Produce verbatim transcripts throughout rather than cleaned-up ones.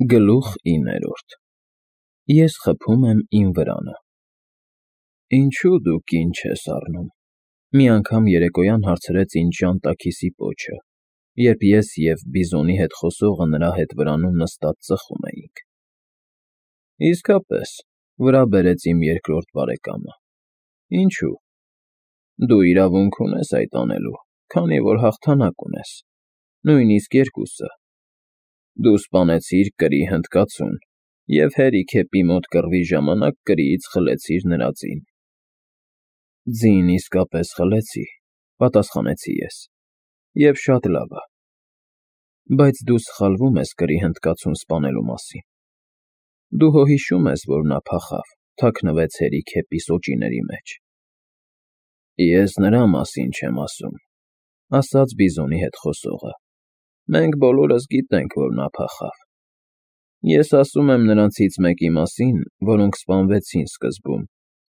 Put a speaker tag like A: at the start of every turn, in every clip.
A: Գլուխ իններորդ Ես խփում եմ իմ վրանը։ Ինչո՞ւ դու կին չես առնում, մի անգամ երեկոյան հարցրեց ինձ Ժանտաքիսի պոչը, երբ ես և բիզոնի հետ խոսողը նրա հետ վրանում նստած ծխում էինք։ Իսկապես, վրա բերեց իմ երկրորդ բարեկամը։ Ինչո՞ւ։ Դու իրավունք ունես այդ անելու, քանի որ հաղթանակ ունես, նույնիսկ երկուսը։ Դու սպանեցիր կրի հնդկացուն և հերիքեպի մոտ կռվի ժամանակ կրիից խլեցիր նրա ձին։ Ձին իսկապես խլեցի, պատասխանեցի ես, և շատ լավ ա։ Բայց դու սխալվում ես կրի հնդկացուն սպանելու մասին։ Դու հո հիշում ես, որ նա փախավ, թաքնվեց հերիքեպի սոճիների մեջ։ Ես նրա մասին չեմ ասում, ասաց բիզոնի հետ խոսողը, մենք բոլորս գիտենք, որ նա փախավ։ Ես ասում եմ նրանցից մեկի մասին, որոնք սպանվեցին սկզբում,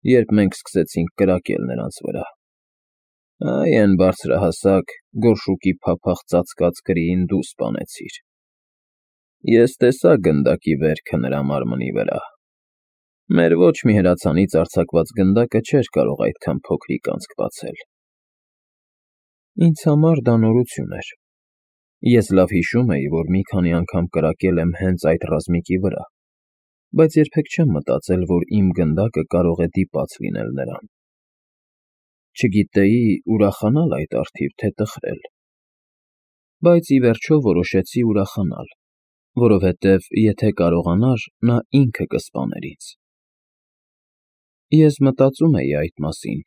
A: երբ մենք սկսեցինք կրակել նրանց վրա։ Այ էն բարձրահասակ, գորշուկի փափախ ծածկած կրիին դու սպանեցիր։ Ես տեսա գնդակի վերքը նրա մարմնի վրա։ Մեր ոչ մի հրացանից արձակված գնդակը չէր կարող այդքան փոքրիկ անցք բացել։ Ինձ համար դա նորություն էր։ Ես լավ հիշում էի, որ մի քանի անգամ կրակել եմ հենց այդ ռազմիկի վրա, բայց երբեք չեմ մտածել, որ իմ գնդակը կարող է դիպած լինել նրան։ Չգիտեի ուրախանալ այդ առթիվ, թե տխրել։ Բայց ի վերջո որոշեցի ուրախանալ, որովհետև եթե կարողանար, նա ինքը կսպաներ ինձ։ Ես մտածում էի այդ մասին,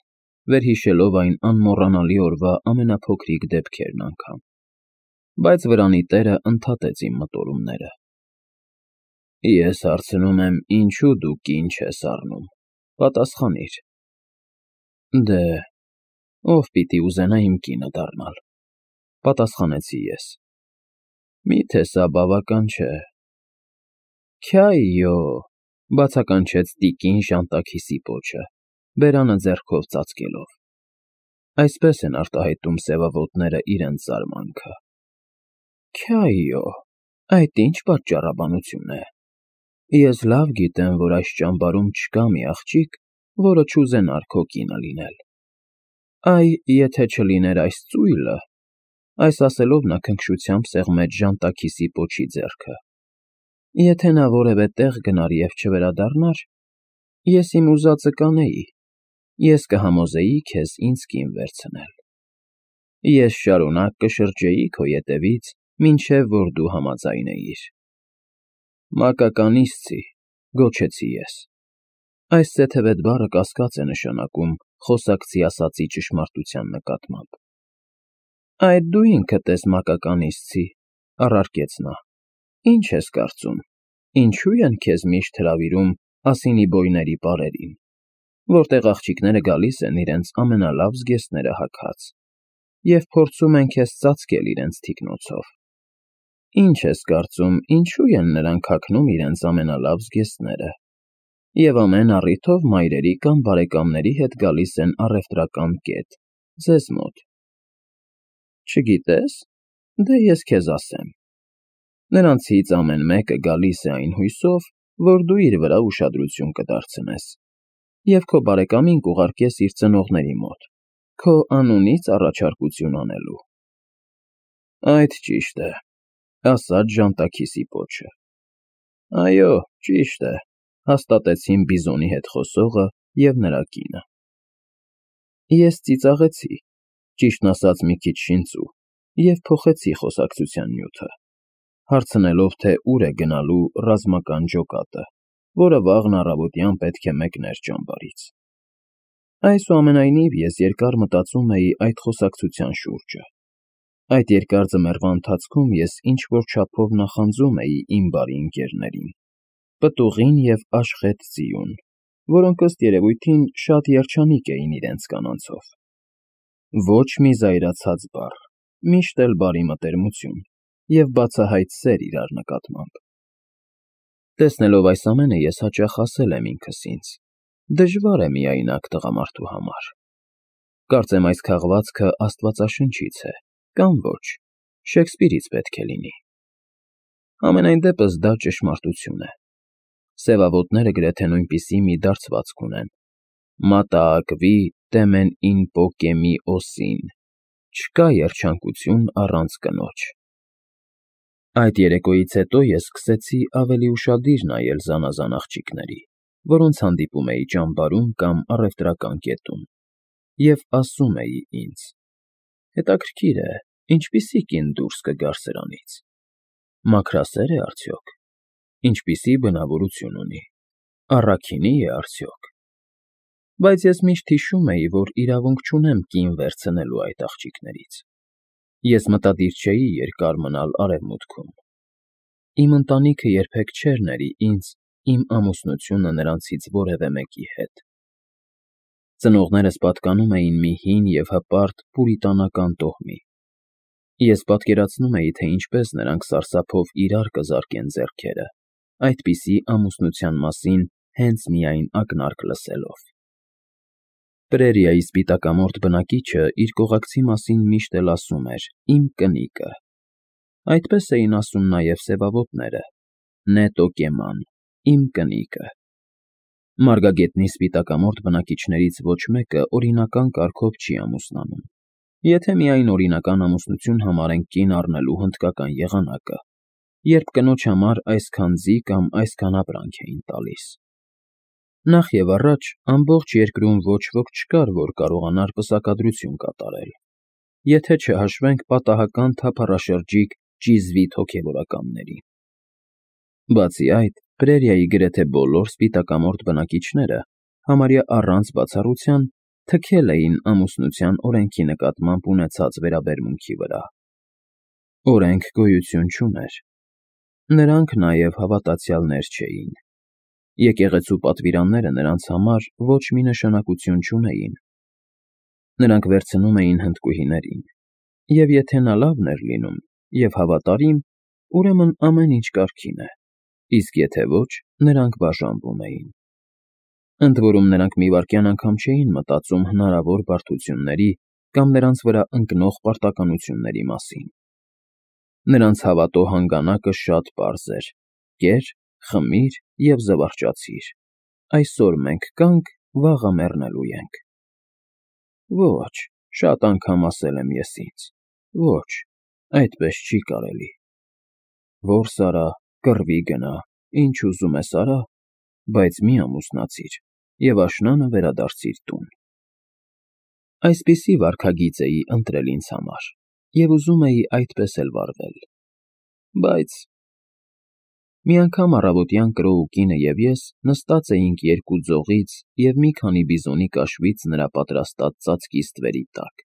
A: վերհիշելով այն անմոռանալի օրվա ամենափոքրիկ դեպքերն անգամ, բայց վրանի տերը ընդհատեց իմ մտորումները։ Ես հարցնում եմ, ինչո՞ւ դու կին չես առնում, պատասխանիր։ Դե, ով պիտի ուզենա իմ կինը դառնալ, պատասխանեցի ես։ Մի՞թե սա բավական չէ։ Քյայյո, բացականչեց տիկին Ժանտաքիսի պոչը, բերանը ձեռքով ծածկելով։ Այսպես են արտահայտում սևավոտները իրենց զարմանքը։ Քյայյո, այդ ինչ պատճառաբանություն է։ Ես լավ գիտեմ, որ այս ճամբարում չկա մի աղջիկ, որը չուզենար քո կինը լինել։ Այ, եթե չլիներ այս ծույլը, այս ասելով նա քնքշությամբ սեղմեց Ժանտաքիսի պոչի ձեռքը։ Եթե նա որևէ տեղ գնար և չվերադառնար, ես իմ ուզածը կանեի, ես կհամոզեի քեզ ինձ կին վերցնել։ Ես շարունակ կշրջեի քո ետևից, մինչև որ դու համաձայնեիր։ Մակականիցցի, գոչեցի ես։ Այս սեթևետ բառը կասկած է նշանակում խոսակցի ասածի ճշմարտության նկատմամբ։ Այդ դու ինքդ ես մակականիցցի, առարկեց նա։ Ինչ ես կարծում, ինչու են քեզ միշտ հրավիրում ասինիբոյների պարերին, որտեղ աղջիկները գալիս են իրենց ամենալավ զգեստները հագած և փորձում են քեզ ծածկել իրենց թիկնոցով։ Ինչ ես կարծում, ինչու են նրանք հագնում իրենց ամենալավ զգեստները և ամեն առիթով մայրերի կամ բարեկամների հետ գալիս են առևտրական կետ, ձեզ մոտ։ Չգիտե՞ս, դե ես քեզ ասեմ։ Նրանցից ամեն մեկը գալիս է այն հույսով, որ դու իր վրա ուշադրություն կդարձնես և քո բարեկամին կուղարկես իր ծնողների մոտ, քո անունից առաջարկություն անելու։ Այդ ճիշտ է, ասաց Ժանտաքիսի պոչը։ Այո, ճիշտ է, հաստատեցին բիզոնի հետ խոսողը և նրա կինը։ Ես ծիծաղեցի, ճիշտն ասած մի քիչ շինծու, և փոխեցի խոսակցության նյութը, հարցնելով, թե ուր է գնալու ռազմական ջոկատը, որը վաղն առավոտյան պետք է մեկներ ճամբարից։ Այսուամենայնիվ ես երկար մտածում էի այդ խոսակցության շուրջը։ Այդ երկար ձմեռվա ընթացքում ես ինչ֊որ չափով նախանձում էի իմ բարի ընկերներին՝ պտուղին և Աշխեթ ձիուն, որոնք ըստ երևույթին շատ երջանիկ էին իրենց կանանցով։ Ոչ մի զայրացած բառ, միշտ էլ բարի մտերմություն և բացահայտ սեր իրար նկատմամբ։ Տեսնելով այս ամենը, ես հաճախ ասել եմ ինքս ինձ. դժվար է միայնակ տղամարդու համար։ Կարծեմ այս քաղվածքը աստվածաշնչից է, կամ ոչ, Շեքսպիրից պետք է լինի։ Համենայն դեպս դա ճշմարտություն է։ Սևավոտները գրեթե նույնպիսի մի դարձվածք ունեն. «Մատաակվի տեմեն ին պոկեմի օսին», չկա երջանկություն առանց կնոջ։ Այդ երեկոյից հետո ես սկսեցի ավելի ուշադիր նայել զանազան աղջիկների, որոնց հանդիպում էի ճամբարում կամ առևտրական կետում, և ասում էի ինձ. հետաքրքիր է, ինչպիսի կին դուրս կգար սրանից, մաքրասե՞ր է արդյոք, ինչպիսի բնավորություն ունի, առաքինի՞ է արդյոք։ Բայց ես միշտ հիշում էի, որ իրավունք չունեմ կին վերցնելու այդ աղջիկներից։ Ես մտադիր չէի երկար մնալ Արևմուտքում։ Իմ ընտանիքը երբեք չէր ների ինձ իմ ամուսնությունը նրանցից որևէ մեկի հետ։ Ծնողներս պատկանում էին մի հին և հպարտ պուրիտանական տոհմի։ Ես պատկերացնում էի, թե ինչպես նրանք սարսափով իրար կզարկեն ձեռքերը, այդպիսի ամուսնության մասին հենց միայն ակնարկ լսելով։ Պրերիայի սպիտակամորթ բնակիչը իր կողակցի մասին միշտ էլ ասում էր «իմ կնիկը»։ Այդպես էին ասում նաև սևավոտները. «Նետո կեման, իմ կնիկը»։ Մարգագետնի սպիտակամորթ բնակիչներից ոչ մեկը օրինական կարգով չի ամուսնանում, եթե միայն օրինական ամուսնություն համարենք կին առնելու հնդկական եղանակը, երբ կնոջ համար այսքան ձի կամ այսքան ապրանք էին տալիս։ Նախ և առաջ ամբողջ երկրում ոչ ոք չկար, որ կարողանար պսակադրություն կատարել, եթե չհաշվենք պատահական թափառաշրջիկ ճիզվիտ հոգևորականների։ Բացի այդ, Պրերիայի գրեթե բոլոր սպիտակամորթ բնակիչները, համարյա առանց բացառության, թքել էին ամուսնության օրենքի նկատմամբ ունեցած վերաբերմունքի վրա։ Օրենք գոյություն չուներ։ Նրանք նաև հավատացյալներ չէին։ Եկեղեցու պատվիրանները նրանց համար ոչ մի նշանակություն չունեին։ Նրանք վերցնում էին հնդկուհիներին, և եթե նա լավն էր լինում և հավատարիմ, ուրեմն ամեն ինչ կարգին է, իսկ եթե ոչ, նրանք բաժանվում էին։ Ընդ որում նրանք մի վայրկյան անգամ չէին մտածում հնարավոր բարդությունների կամ նրանց վրա ընկնող պարտականությունների մասին։ Նրանց հավատո հանգանակը շատ պարզ էր. կեր, խմիր և զվարճացիր, այսօր մենք կանք, վաղը մեռնելու ենք։ Ոչ, շատ անգամ ասել եմ ես ինձ. ոչ, այդպես չի կարելի։ Որս արա, կռվի գնա, ինչ ուզում ես արա, բայց մի ամուսնացիր և աշնանը վերադարձիր տուն։ Այսպիսի վարքագիծ էի ընտրել ինձ համար և ուզում էի այդպես էլ վարվել։ Բայց… Մի անգամ առավոտյան Կրոու կինը և ես նստած էինք երկու ձողից և մի քանի բիզոնի կաշվից նրա պատրաստած ծածկի ստվերի տակ։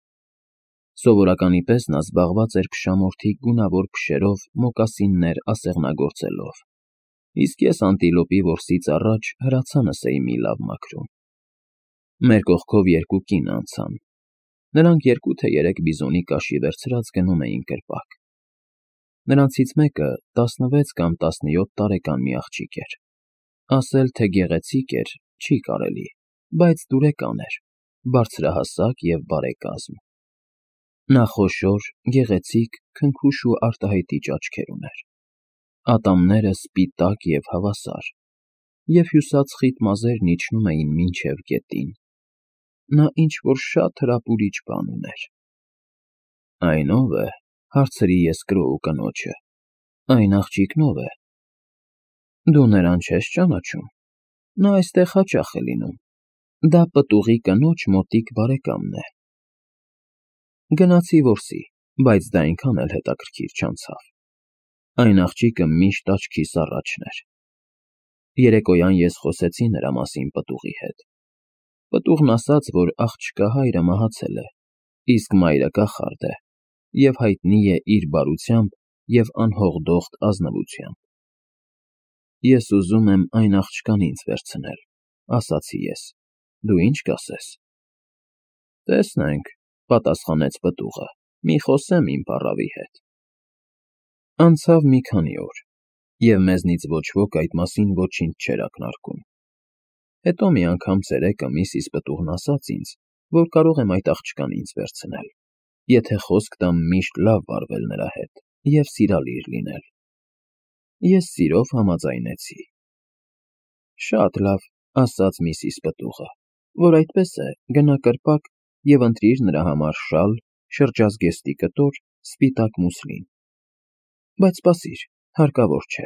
A: Սովորականի պես նա զբաղված էր փշամորթի գունավոր փշերով մոկասիններ ասեղնագործելով, իսկ ես անտիլոպի որսից առաջ հրացանս էի մի լավ մաքրում։ Մեր կողքով երկու կին անցան։ Նրանք երկու թե երեք բիզոնի կաշի վերցրած գնում էին կրպակ։ Նրանցից մեկը տասնվեց կամ տասնյոթ տարեկան մի աղջիկ էր։ Ասել, թե գեղեցիկ էր, չի կարելի, բայց դուրեկան էր, բարձրահասակ և բարեկազմ։ Նա խոշոր, գեղեցիկ, քնքուշ ու արտահայտիչ աչքեր ուներ, ատամները սպիտակ և հավասար, և հյուսած խիտ մազերն իջնում էին մինչև գետին։ Նա ինչ֊որ շատ հրապուրիչ բան ուներ։ Այն ո՞վ է, հարցրի ես Կրոու կնոջը, այն աղջիկն ո՞վ է։ Դու նրան չես ճանաչում, նա այստեղ հաճախ է լինում, դա պտուղի կնոջ մոտիկ բարեկամն է։ Գնացի որսի, բայց դա այնքան էլ հետաքրքիր չանցավ։ Այն աղջիկը միշտ աչքիս առաջն էր։ Երեկոյան ես խոսեցի նրա մասին պտուղի հետ։ Պտուղն ասաց, որ աղջկա հայրը մահացել է, իսկ մայրը կախարդ է և հայտնի է իր բարությամբ և անհողդոխտ ազնվությամբ։ Ես ուզում եմ այն աղջկան ինձ վերցնել, ասացի ես, դու ի՞նչ կասես։ Տեսնենք, պատասխանեց պտուղը, մի խոսեմ իմ պառավի հետ։ Անցավ մի քանի օր, և մեզնից ոչ ոք այդ մասին ոչինչ չէր ակնարկում։ Հետո մի անգամ ցերեկը միսիս պտուղն ասաց ինձ, որ կարող եմ այդ աղջկան ինձ վերցնել, եթե խոսք տամ միշտ լավ վարվել նրա հետ և սիրալիր լինել։ Ես սիրով համաձայնեցի։ Շատ լավ, ասաց միսիս Պտուղը, որ այդպես է, գնա կրպակ և ընտրիր նրա համար շալ, շրջազգեստի կտոր, սպիտակ մուսլին։ Բայց սպասիր, հարկավոր չէ,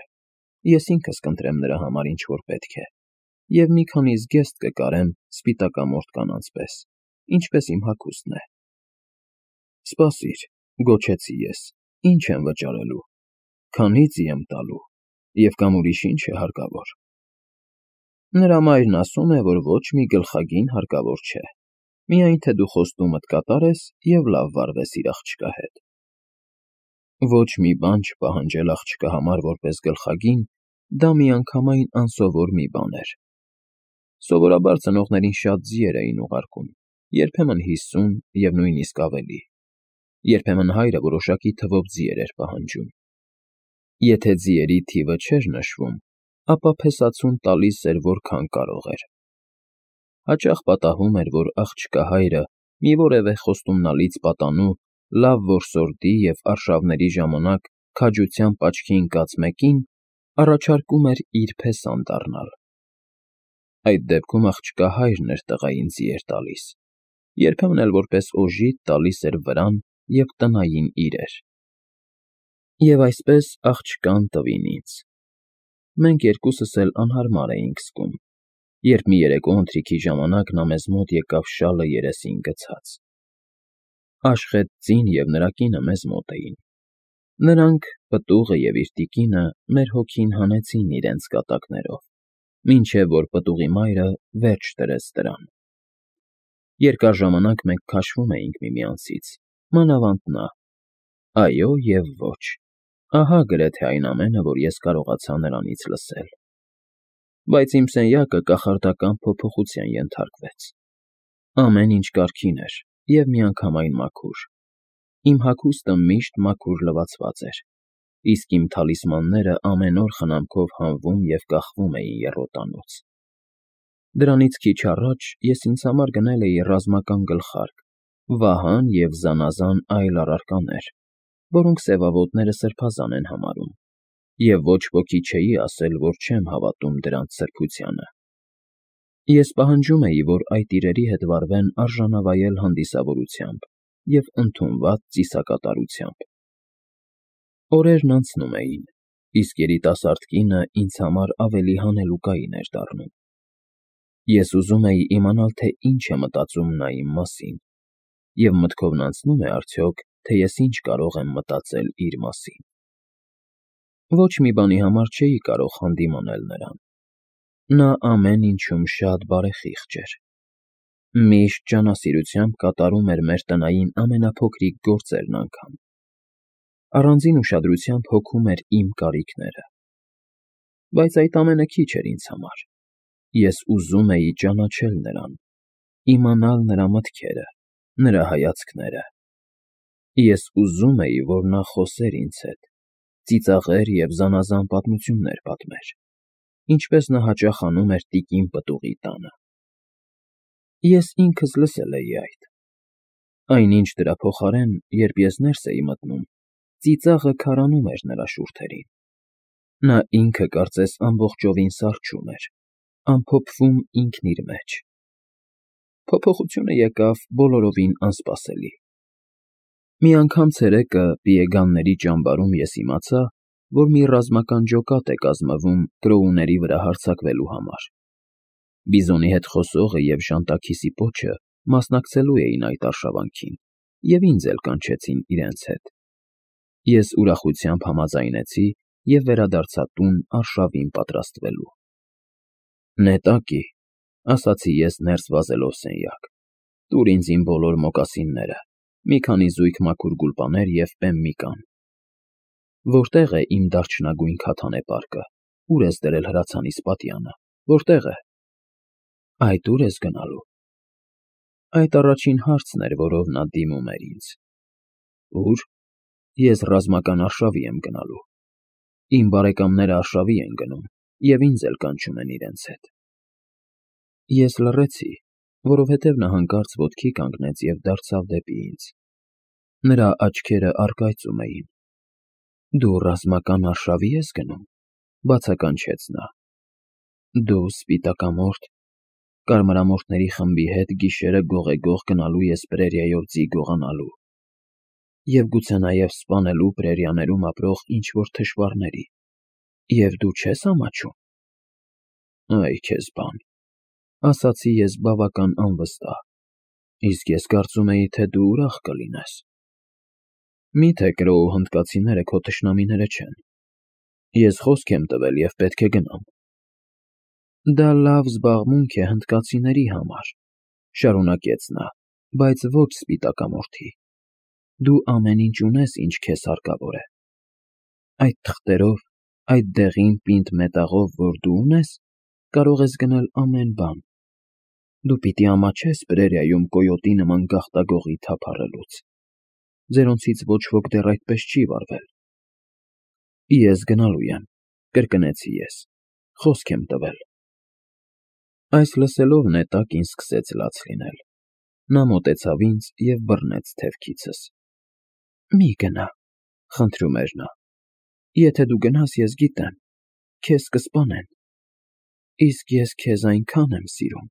A: ես ինքս կընտրեմ նրա համար ինչ-որ պետք է, և մի քանի զգեստ կկարեմ սպիտակամորթ կանանց պես, ինչպես իմ հագուստն է։ Սպասիր, գոչեցի ես, ինչ եմ վճարելու, քանի ծի եմ տալու, և կամ ուրիշ ինչ է հարկավոր։ Նրա մայրն ասում է, որ ոչ մի գլխագին հարկավոր չէ, միայն թե դու խոստումդ կատարես և լավ վարվես իր աղջկա հետ։ Ոչ մի բան չպահանջել աղջկա համար որպես գլխագին, դա միանգամայն անսովոր մի բան էր։ Սովորաբար ծնողներին շատ ձիեր էին ուղարկում, երբեմն հիսուն և նույնիսկ ավելի։ Երբեմն հայրը որոշակի թվով ձիեր էր պահանջում։ Եթե ձիերի թիվը չէր նշվում, ապա փեսացուն տալիս էր որքան կարող էր։ Հաճախ պատահում էր, որ աղջկա հայրը մի որևէ խոստումնալից պատանու, լավ որսորդի և արշավների ժամանակ քաջությամբ աչքի ընկած մեկին առաջարկում էր իր փեսան դառնալ։ Այդ դեպքում աղջկա հայրն էր տղային ձիեր տալիս, երբեմն էլ որպես օժիտ տալիս էր վրան և տնային իրեր։ Եվ այսպես աղջկան տվին ինձ։ Մենք երկուսս էլ անհարմար էինք զգում, երբ մի երեկո ընթրիքի ժամանակ նա մեզ մոտ եկավ շալը երեսին գցած։ Աշխեթ ձին և նրա կինը մեզ մոտ էին։ Նրանք, պտուղը և իր տիկինը, մեր հոգին հանեցին իրենց կատակներով, մինչև որ պտուղի մայրը վերջ դրեց դրան։ Երկար ժամանակ մենք քաշվում էինք միմյանցից, մանավանդ նա։ Այո և ոչ, ահա գրեթե այն ամենը, որ ես կարողացա նրանից լսել։ Բայց իմ սենյակը կախարդական փոփոխության ենթարկվեց։ Ամեն ինչ կարգին էր և միանգամայն մաքուր։ Իմ հագուստը միշտ մաքուր լվացված էր, իսկ իմ թալիսմանները ամեն օր խնամքով հանվում և կախվում էին եռոտանոց։ Դրանից քիչ առաջ ես ինձ համար գնել էի ռազմական գլխարկ, վահան և զանազան այլ առարկաներ, որոնք սևավոտները սրբազան են համարում, և ոչ ոքի չէի ասել, որ չեմ հավատում դրանց սրբությանը։ Ես պահանջում էի, որ այդ իրերի հետ վարվեն արժանավայել հանդիսավորությամբ և ընդունված ծիսակատարությամբ։ Օրերն անցնում էին, իսկ երիտասարդ կինը ինձ համար ավելի հանելուկային էր դառնում։ Ես ուզում էի իմանալ, թե ինչ է մտածում նա իմ մասին, և մտքովն անցնո՞ւմ է արդյոք, թե ես ինչ կարող եմ մտածել իր մասին։ Ոչ մի բանի համար չէի կարող հանդիմանել նրան։ Նա ամեն ինչում շատ բարեխիղճ էր։ Միշտ ջանասիրությամբ կատարում էր մեր տնային ամենափոքրիկ գործերն անգամ։ Առանձին ուշադրությամբ հոգում էր իմ կարիքները։ Բայց այդ ամենը քիչ էր ինձ համար։ Ես ուզում էի ճանաչել նրան, իմանալ նրա մտքերը, նրա հայացքները։ Ես ուզում էի, որ նա խոսեր ինձ հետ, ծիծաղեր և զանազան պատմություններ պատմեր, ինչպես նա հաճախ անում էր տիկին Պտուղի տանը։ Ես ինքս լսել էի այդ։ Այնինչ դրա փոխարեն, երբ ես ներս էի մտնում, ծիծաղը քարանում էր նրա շուրթերին։ Նա ինքը կարծես ամբողջովին սառչում էր, ամփոփվում ինքն իր մեջ։ Փոփոխությունը եկավ բոլորովին անսպասելի։ Մի անգամ ցերեկը Պիեգանների ճամբարում ես իմացա, որ մի ռազմական ջոկատ է կազմվում կրոուների վրա հարձակվելու համար։ Բիզոնի հետ խոսողը և ժանտաքիսի պոչը մասնակցելու էին այդ արշավանքին և ինձ էլ կանչեցին իրենց հետ։ Ես ուրախությամբ համաձայնեցի և վերադարձա տուն արշավին պատրաստվելու։ Նետակի, ասացի ես ներս վազելով սենյակ, տուր ինձ իմ բոլոր մոկասինները, մի քանի զույգ մաքուր գուլպաներ և պեմ մի կան։ Որտե՞ղ է իմ դարչնագույն քաթանեպարկը, ուր ես դրել հրացանիս պատյանը, որտե՞ղ է։ Այդ ո՞ւր ես գնալու։ Այդ առաջին հարցն էր, որով նա դիմում էր ինձ։ Ո՞ւր։ Ես ռազմական արշավի եմ գնալու։ Իմ բարեկամները արշավի են գնում և ինձ էլ կանչում են իրենց հետ։ Ես լռեցի, որովհետև նա հանկարծ ոտքի կանգնեց և դարձավ դեպի ինձ։ Նրա աչքերը առկայծում էին։ Դու ռազմական արշավի ես գնում։ Բացականչեց նա. Դու սպիտակամորթ, կարմրամորթների խմբի հետ գիշերը գողեգող գնալու ես պրերիայով ձի գողանալու և գուցե նաև սպանելու պրերիաներում ապրող ինչ-որ թշվառների, և դու չես ամաչում։ Այ քեզ բան, ասացի ես բավական անվստահ, իսկ ես կարծում էի, թե դու ուրախ կլինես։ Մի՞թե Կրոու հնդկացիները քո թշնամիները չեն։ Ես խոսք եմ տվել և պետք է գնամ։ Դա լավ զբաղմունք է հնդկացիների համար, շարունակեց նա, բայց ոչ սպիտակամորթի։ Դու ամեն ինչ ունես, ինչ քեզ հարկավոր է։ Այդ թղթերով, այդ դեղին պինդ մետաղով, որ դու ունես, կարող ես գնել ամեն բան։ Դու պիտի ամաչես պրերիայում կոյոտի նման գաղտագողի թափառելուց։ Ձերոնցից ոչ ոք դեռ այդպես չի վարվել։ Ես գնալու եմ, կրկնեցի ես, խոսք եմ տվել։ Այս լսելով նետակին սկսեց լաց լինել։ Նա մոտեցավ ինձ և բռնեց թևքիցս։ Մի գնա, խնդրում էր նա։ Եթե դու գնաս, ես գիտեմ, քեզ կսպանեն, իսկ ես քեզ այնքան եմ սիրում։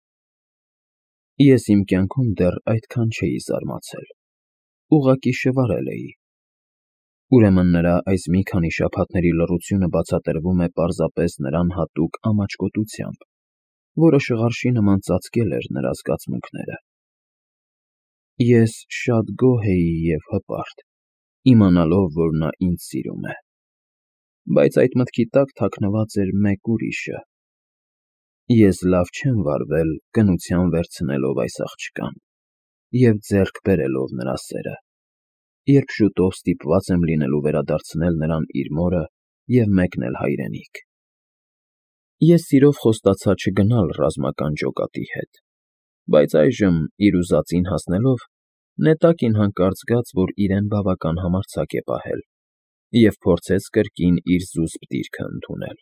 A: Ես իմ կյանքում դեռ այդքան չէի զարմացել, ուղղակի շվարել էի։ Ուրեմն նրա այս մի քանի շաբաթների լռությունը բացատրվում է պարզապես նրան հատուկ ամաչկոտությամբ, որը շղարշի նման ծածկել էր նրա զգացմունքները։ Ես շատ գոհ էի և հպարտ, իմանալով, որ նա ինձ սիրում է, բայց այդ մտքի տակ թաքնված էր մեկ ուրիշը։ Ես լավ չեմ վարվել կնության վերցնելով այս աղջկան և ձեռք բերելով նրա սերը, երբ շուտով ստիպված եմ լինելու վերադարձնել նրան իր մորը և մեկնել հայրենիք։ Ես սիրով խոստացա չգնալ ռազմական ջոկատի հետ, բայց այժմ, իր ուզածին հասնելով, նետակին հանկարծ զգաց, որ իրեն բավական համարձակ է պահել և փորձեց կրկին իր զուսպ դիրքը ընդունել։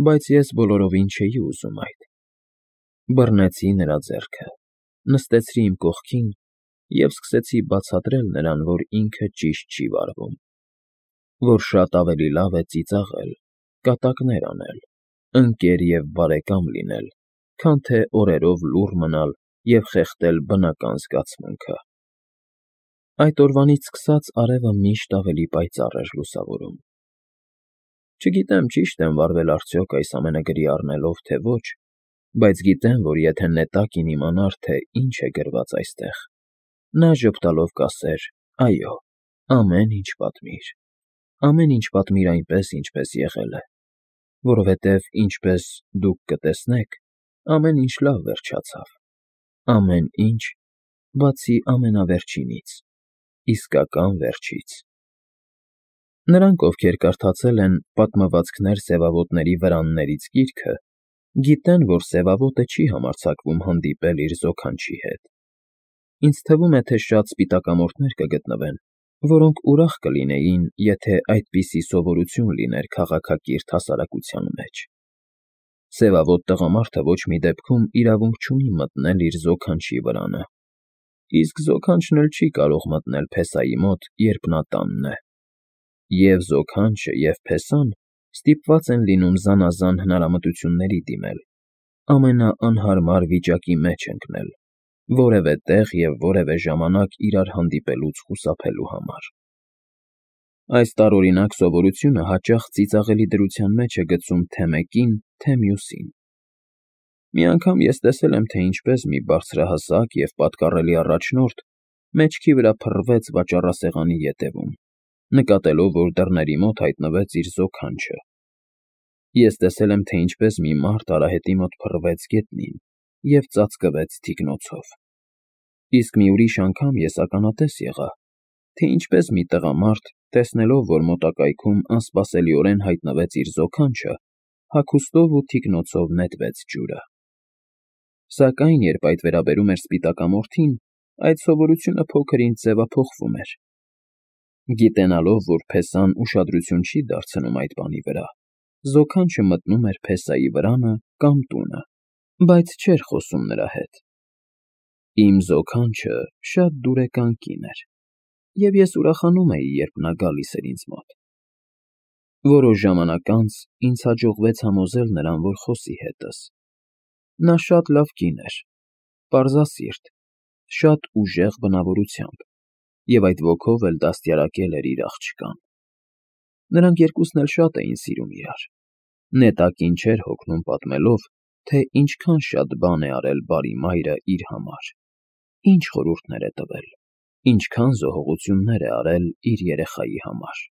A: Բայց ես բոլորովին չէի ուզում այդ։ Բռնեցի նրա ձեռքը, նստեցրի իմ կողքին և սկսեցի բացատրել նրան, որ ինքը ճիշտ չի վարվում, որ շատ ավելի լավ է ծիծաղել, կատակներ անել, ընկեր և բարեկամ լինել, քան թե օրերով լուռ մնալ և խեղդել բնական զգացմունքը։ Այդ օրվանից սկսած արևը միշտ ավելի պայծառ էր լուսավորում։ Չգիտեմ ճիշտ եմ վարվել արդյոք այս ամենը գրի առնելով, թե ոչ, բայց գիտեմ, որ եթե նետակին իմանար, թե ինչ է գրված այստեղ, նա ժպտալով կասեր. այո, ամեն ինչ պատմիր, ամեն ինչ պատմիր այնպես, ինչպես եղել է, որովհետև, ինչպես դուք կտեսնեք, ամեն ինչ լավ վերջացավ, ամեն ինչ, բացի ամենավերջինից, իսկական վերջից։ Նրանք, ովքեր կարդացել են «Պատմվածքներ սևավոտների վրաններից» գիրքը, գիտեն, որ սևավոտը չի համարձակվում հանդիպել իր զոքանչի հետ։ Ինձ թվում է, թե շատ սպիտակամորթներ կգտնվեն, որոնք ուրախ կլինեին, եթե այդպիսի սովորություն լիներ քաղաքակիրթ հասարակության մեջ։ Սևավոտ տղամարդը ոչ մի դեպքում իրավունք չունի մտնել իր զոքանչի վրանը, իսկ զոքանչն էլ չի կարող մտնել փեսայի մոտ, երբ նա տանն է։ Եվ զոքանչը, և փեսան ստիպված են լինում զանազան հնարամտությունների դիմել, ամենաանհարմար վիճակի մեջ ընկնել, որևէ տեղ և որևէ ժամանակ իրար հանդիպելուց խուսափելու համար։ Այս տարօրինակ սովորությունը հաճախ ծիծաղելի դրության մեջ է գցում թե մեկին, թե մյուսին։ Մի անգամ ես տեսել եմ, թե ինչպես մի բարձրահասակ և պատկառելի առաջնորդ մեջքի վրա փռվեց վաճառասեղանի ետևում, նկատելով, որ դռների մոտ հայտնվեց իր զոքանչը։ Ես տեսել եմ, թե ինչպես մի մարդ արահետի մոտ փռվեց գետնին և ծածկվեց թիկնոցով։ Իսկ մի ուրիշ անգամ ես ականատես եղա, թե ինչպես մի տղամարդ, տեսնելով, որ մոտակայքում անսպասելիորեն հայտնվեց իր զոքանչը, հագուստով ու թիկնոցով նետվեց ջուրը։ Սակայն, երբ այդ վերաբերում էր սպիտակամորթին, այդ սովորությունը փոքր ինչ ձևափոխվում էր։ Գիտենալով, որ փեսան ուշադրություն չի դարձնում այդ բանի վրա, զոքանչը մտնում էր փեսայի վրանը կամ տունը, բայց չէր խոսում նրա հետ։ Իմ զոքանչը շատ դուրեկան կին էր, և ես ուրախանում էի, երբ նա գալիս էր ինձ մոտ։ Որոշ ժամանակ անց ինձ հաջողվեց համոզել նրան, որ խոսի հետս. նա շատ լավ կին էր, պարզասիրտ, շատ ուժեղ բնավորությամբ և այդ ոգով էլ դաստիարակել էր իր աղջկան. նրանք երկուսն էլ շատ էին սիրում իրար, նետակին չէր հոգնում պատմելով, թե ինչքան շատ բան է արել բարի մայրը իր համար, ինչ խորհուրդներ է տվել, ինչքան զոհողություններ է արել իր երեխայի համար։